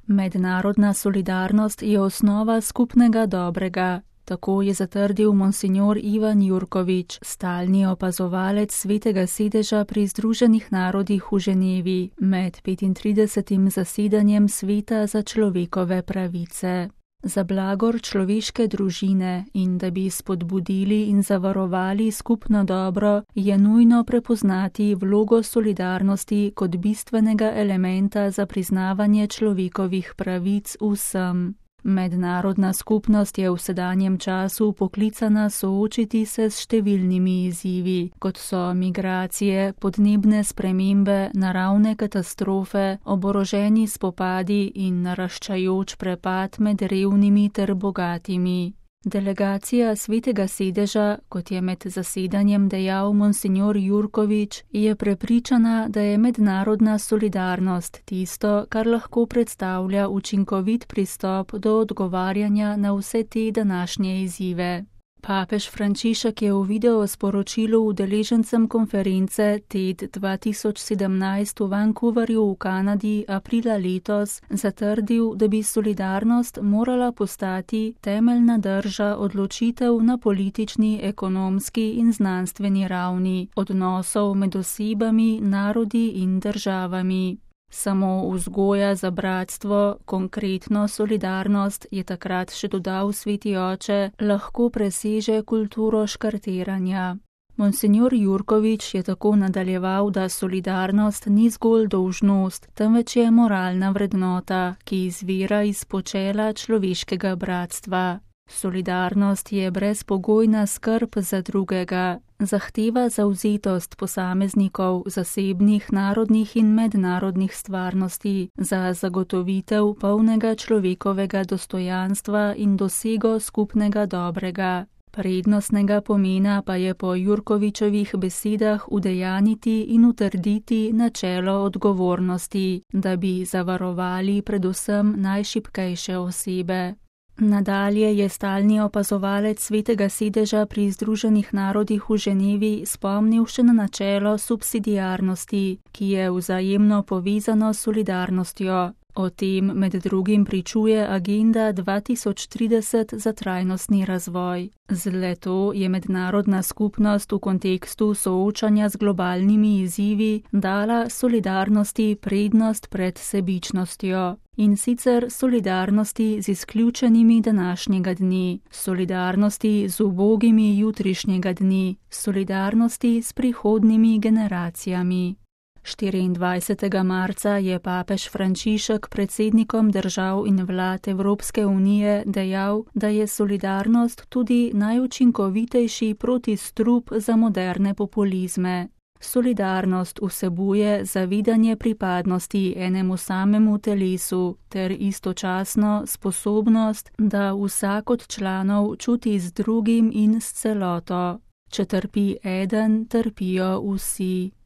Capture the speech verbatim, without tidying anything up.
Mednarodna solidarnost je osnova skupnega dobrega. Tako je zatrdil monsignor Ivan Jurkovič, stalni opazovalec Svetega sedeža pri Združenih narodih v Ženevi med petintridesetim zasedanjem Sveta za človekove pravice. Za blagor človeške družine in da bi spodbudili in zavarovali skupno dobro, je nujno prepoznati vlogo solidarnosti kot bistvenega elementa za priznavanje človekovih pravic vsem. Mednarodna skupnost je v sedanjem času poklicana soočiti se s številnimi izzivi, kot so migracije, podnebne spremembe, naravne katastrofe, oboroženi spopadi in naraščajoč prepad med revnimi ter bogatimi. Delegacija Svetega sedeža, kot je med zasedanjem dejal monsignor Jurkovič, je prepričana, da je mednarodna solidarnost tisto, kar lahko predstavlja učinkovit pristop do odgovarjanja na vse te današnje izzive. Papež Frančišek je v videosporočilu udeležencem konference T E D dva tisoč sedemnajst v Vancouverju v Kanadi aprila letos zatrdil, da bi solidarnost morala postati temeljna drža odločitev na politični, ekonomski in znanstveni ravni, odnosov med osebami, narodi in državami. Samo vzgoja za bratstvo, konkretno solidarnost, je takrat še dodal sveti oče, lahko preseže kulturo škartiranja. Monsignor Jurkovič je tako nadaljeval, da solidarnost ni zgolj dolžnost, temveč je moralna vrednota, ki izvira iz počela človeškega bratstva. Solidarnost je brezpogojna skrb za drugega, zahteva zavzetost posameznikov, zasebnih, narodnih in mednarodnih stvarnosti za zagotovitev polnega človekovega dostojanstva in dosego skupnega dobrega. Prednostnega pomena pa je po Jurkovičevih besedah udejaniti in utrditi načelo odgovornosti, da bi zavarovali predvsem najšibkejše osebe. Nadalje je stalni opazovalec Svetega sedeža pri Združenih narodih v Ženevi spomnil še na načelo subsidiarnosti, ki je vzajemno povezano s solidarnostjo. O tem med drugim pričuje agenda dva tisoč trideset za trajnostni razvoj. Z le-to je mednarodna skupnost v kontekstu soočanja z globalnimi izzivi dala solidarnosti prednost pred sebičnostjo. In sicer solidarnosti z izključenimi današnjega dne, solidarnosti z ubogimi jutrišnjega dne, solidarnosti s prihodnjimi generacijami. štiriindvajsetega marca je papež Frančišek predsednikom držav in vlad Evropske unije dejal, da je solidarnost tudi najučinkovitejši protistrup za moderne populizme. Solidarnost vsebuje zavedanje pripadnosti enemu samemu telesu ter istočasno sposobnost, da vsak od članov čuti z drugim in s celoto. Če trpi eden, trpijo vsi.